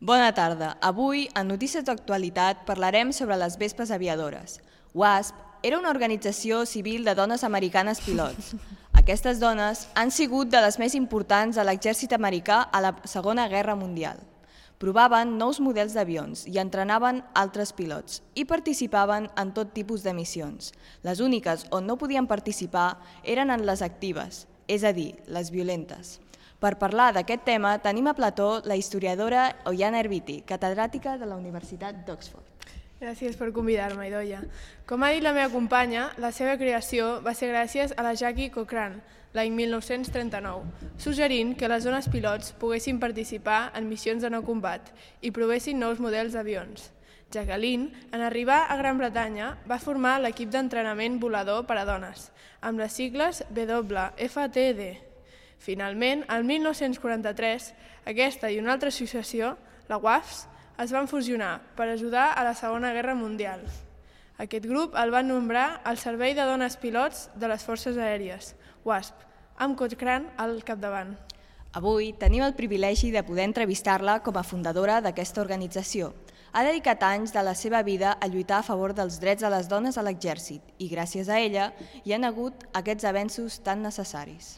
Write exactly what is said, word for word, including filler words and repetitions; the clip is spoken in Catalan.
Bona tarda. Avui, en Notícies d'actualitat, parlarem sobre les vespes aviadores. WASP era una organització civil de dones americanes pilots. Aquestes dones han sigut de les més importants a l'exèrcit americà a la Segona Guerra Mundial. Provaven nous models d'avions i entrenaven altres pilots i participaven en tot tipus de missions. Les úniques on no podien participar eren en les actives, és a dir, les violentes. Per parlar d'aquest tema tenim a plató la historiadora Oiana Erviti, catedràtica de la Universitat d'Oxford. Gràcies per convidar-me, Idoia. Com ha dit la meva companya, la seva creació va ser gràcies a la Jackie Cochran, l'any mil nou-cents trenta-nou, suggerint que les dones pilots poguessin participar en missions de no combat i provessin nous models d'avions. Jacqueline, en arribar a Gran Bretanya, va formar l'equip d'entrenament volador per a dones, amb les sigles W F T D. Finalment, el mil nou-cents quaranta-tres, aquesta i una altra associació, la WASP, es van fusionar per ajudar a la Segona Guerra Mundial. Aquest grup el van nombrar el Servei de Dones Pilots de les Forces Aèries, WASP, amb Cochran al capdavant. Avui tenim el privilegi de poder entrevistar-la com a fundadora d'aquesta organització. Ha dedicat anys de la seva vida a lluitar a favor dels drets de les dones a l'exèrcit i gràcies a ella hi han hagut aquests avenços tan necessaris.